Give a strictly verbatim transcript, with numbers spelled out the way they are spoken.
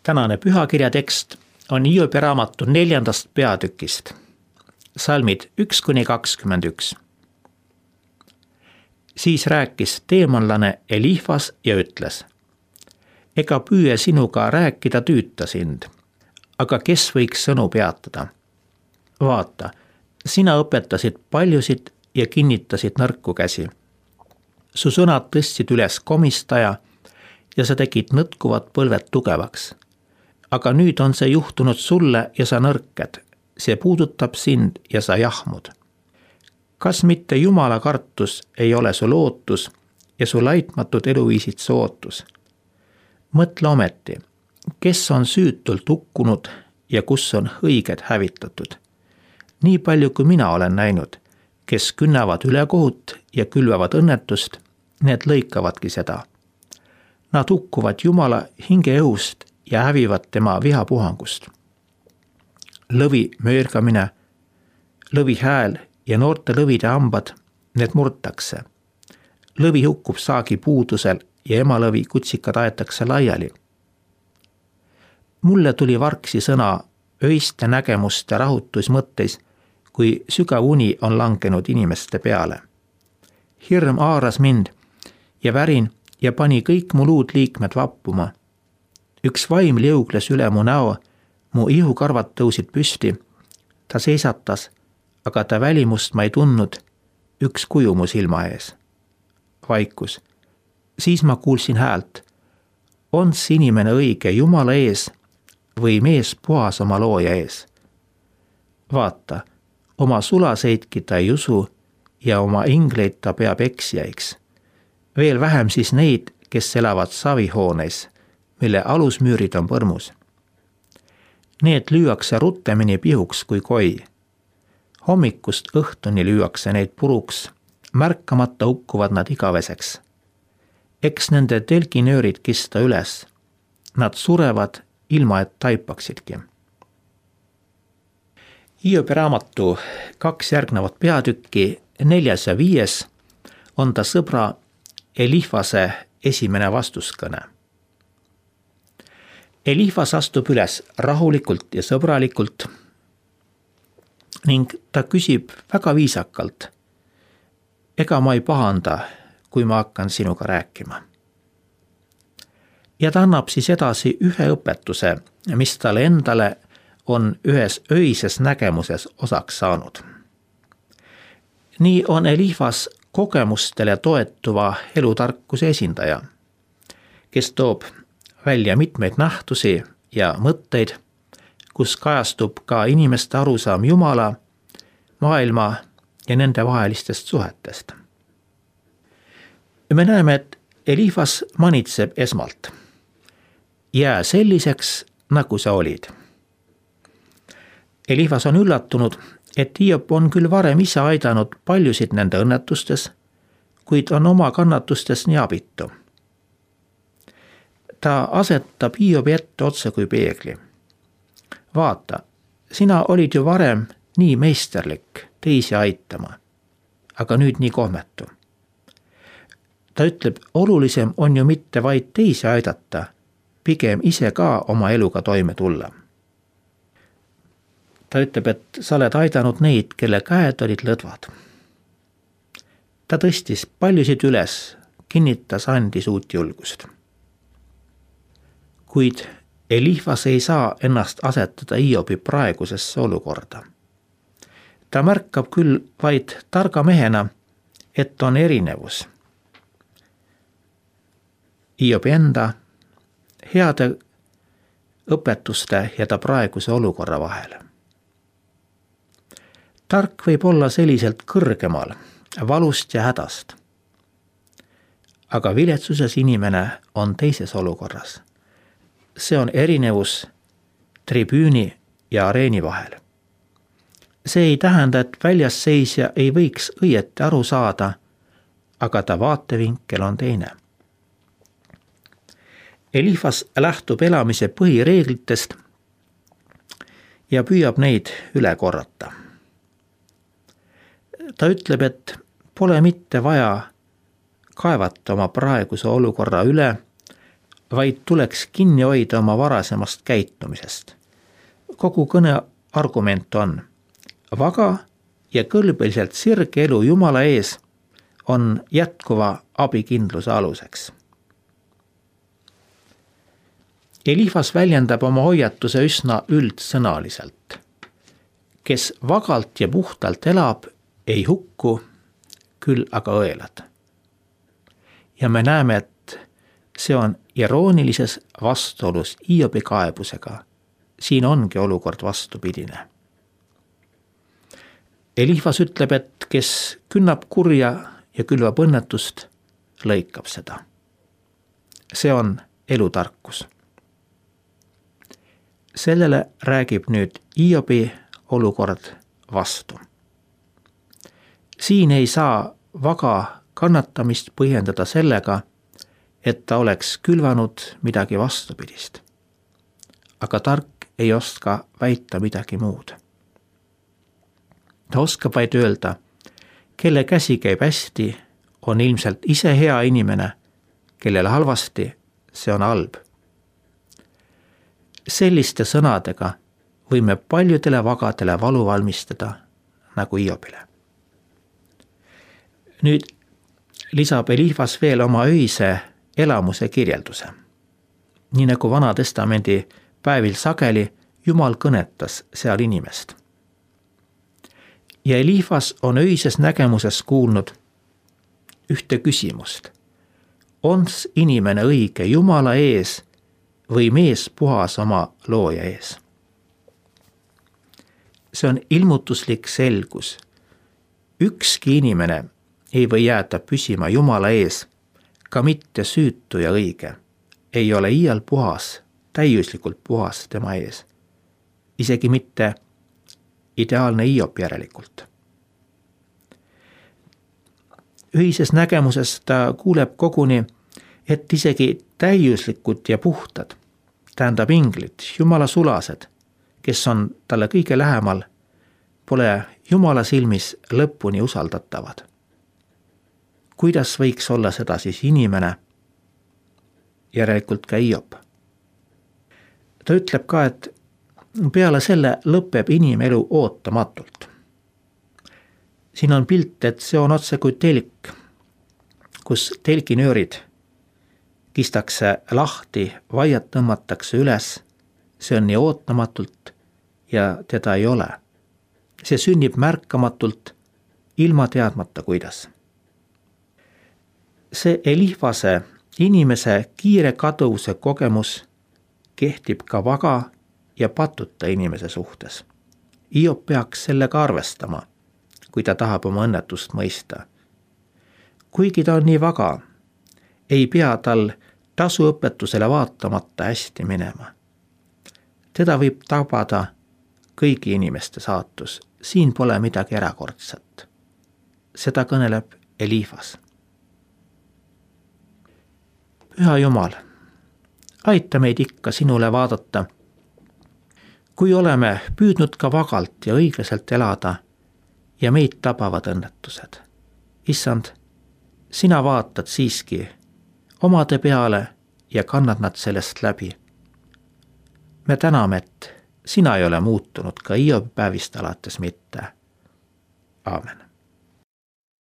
Tänane pühakirja tekst on Hiobi raamatu neljandast peatükist, salmid üks kuni kakskümmend üks. Siis rääkis teemanlane Elifas ja ütles: ega püüe sinuga rääkida tüüta sind, aga kes võiks sõnu peatada? Vaata, sina õpetasid paljusid ja kinnitasid nõrku käsi. Su sõnad tõstsid üles komistaja ja sa tegid nõtkuvad põlved tugevaks. Aga nüüd on see juhtunud sulle ja sa nõrked, see puudutab sind ja sa jahmud. Kas mitte Jumala kartus ei ole su lootus ja su laitmatud eluviisid su ootus? Mõtle ometi, kes on süütult hukkunud ja kus on õiged hävitatud. Nii palju kui mina olen näinud, kes künnavad ülekohut ja külvavad õnnetust, need lõikavadki seda. Nad hukkuvad Jumala hinge õhust ja hävivad tema vihapuhangust. Lõvi möörgamine, lõvi hääl ja noorte lõvide hambad, need murtakse. Lõvi hukkub saagi puudusel ja emalõvi kutsikad aetakse laiali. Mulle tuli vargsi sõna öiste nägemuste rahutusmõtteis, kui sügav uni on langenud inimeste peale. Hirm haaras mind ja värin ja pani kõik mu luud liikmed vappuma. Üks vaim liugles üle mu näo, mu ihukarvad tõusid püsti. Ta seisatas, aga ta välimust ma ei tundnud, üks kuju mu silma ees. Vaikus. Siis ma kuulsin häält. On see inimene õige Jumala ees või mees puhas oma looja ees? Vaata, oma sulaseidki ta ei usu ja oma ingleid ta peab eksijaiks. Veel vähem siis neid, kes elavad savihooneis, mille alusmüürid on põrmus. Need lüüakse ruttemini pihuks kui koi. Hommikust õhtuni lüüakse neid puruks, märkamata hukkuvad nad igaveseks. Eks nende telginöörid kista üles. Nad surevad ilma et taipaksidki. Hiobi raamatu kaks järgnevat peatükki, neljas ja viies, on ta sõbra Elifase esimene vastuskõne. Elifas astub üles rahulikult ja sõbralikult ning ta küsib väga viisakalt: ega ma ei pahanda, kui ma hakkan sinuga rääkima. Ja ta annab siis edasi ühe õpetuse, mis talle endale on ühes öises nägemuses osaks saanud. Nii on Elifas kogemustele toetuva elutarkuse esindaja, kes toob välja mitmeid nähtusi ja mõtteid, kus kajastub ka inimeste arusaam Jumala, maailma ja nende vahelistest suhetest. Me näeme, et Elifas manitseb esmalt: jää selliseks, nagu sa olid. Elifas on üllatunud, et Hiob on küll varem ise aidanud paljusid nende õnnetustes, kuid on oma kannatustes nii abitu. Ta asetab Hiobi ette otse kui peegli. Vaata, sina olid ju varem nii meisterlik teisi aitama, aga nüüd nii kohmetu. Ta ütleb, olulisem on ju mitte vaid teisi aidata, pigem ise ka oma eluga toime tulla. Ta ütleb, et sa oled aidanud neid, kelle käed olid lõdvad. Ta tõstis paljusid üles, kinnitas, andis uut julgust. Kuid Elifas ei saa ennast asetada Hiobi praegusesse olukorda. Ta märkab küll vaid targa mehena, et on erinevus Hiobi enda, heade õpetuste ja ta praeguse olukorra vahel. Tark võib olla selliselt kõrgemal, valust ja hädast. Aga viletsuses inimene on teises olukorras. See on erinevus tribüüni ja areeni vahel. See ei tähenda, et väljasseisja ei võiks õieti aru saada, aga ta vaatevinkel on teine. Elifas lähtub elamise põhireeglitest ja püüab neid üle korrata. Ta ütleb, et pole mitte vaja kaevata oma praeguse olukorra üle, vaid tuleks kinni hoida oma varasemast käitumisest. Kogu kõne argument on, vaga ja kõlbeliselt sirge elu Jumala ees on jätkuva abikindluse aluseks. Eliifas väljendab oma hoiatuse üsna üldsõnaliselt. Kes vagalt ja puhtalt elab, ei hukku, küll aga õelad. Ja me näeme, et see on iroonilises vastuolus Hiobi kaebusega. Siin ongi olukord vastupidine. Eliifas ütleb, et kes künnab kurja ja külvab õnnetust, lõikab seda. See on elutarkus. Sellele räägib nüüd Hiobi olukord vastu. Siin ei saa vaga kannatamist põhjendada sellega, et ta oleks külvanud midagi vastupidist. Aga tark ei oska väita midagi muud. Ta oskab vaid öelda, kelle käsi käib hästi, on ilmselt ise hea inimene, kellele halvasti, see on halb. Selliste sõnadega võime paljudele vagadele valu valmistada, nagu Hiobile. Nüüd lisab Eliifas veel oma öise elamuse kirjelduse. Nii nagu Vana Testamendi päevil sageli Jumal kõnetas seal inimest. Ja Eliifas on öises nägemuses kuulnud ühte küsimust. Ons inimene õige Jumala ees või mees puhas oma looja ees? See on ilmutuslik selgus. Ükski inimene ei või jääda püsima Jumala ees, ka mitte süütu ja õige. Ei ole iial puhas, täiuslikult puhas tema ees. Isegi mitte ideaalne Hiob järelikult. Ühises nägemuses ta kuuleb koguni, et isegi täiuslikud ja puhtad, tähendab inglid, Jumala sulased, kes on talle kõige lähemal, pole Jumala silmis lõpuni usaldatavad. Kuidas võiks olla seda siis inimene, järelikult ka Hiob? Ta ütleb ka, et peale selle lõpeb inimelu ootamatult. Siin on pilt, et see on otse kui telk, kus telginöörid kistakse lahti, vaiad tõmmatakse üles, see on nii ootamatult ja teda ei ole. See sünnib märkamatult, ilma teadmata kuidas. See Eliifase inimese kiire kaduvuse kogemus kehtib ka vaga ja patuta inimese suhtes. Hiob peaks sellega arvestama, kui ta tahab oma õnnetust mõista. Kuigi ta on nii vaga, ei pea tal tasuõpetusele vaatamata hästi minema. Teda võib tabada kõigi inimeste saatus. Siin pole midagi erakordset. Seda kõneleb Eliifas. Püha Jumal, aita meid ikka sinule vaadata, kui oleme püüdnud ka vagalt ja õiglaselt elada ja meid tabavad õnnetused. Issand, sina vaatad siiski omade peale ja kannad nad sellest läbi. Me täname, et sina ei ole muutunud ka Hiobi päevist alates mitte. Aamen.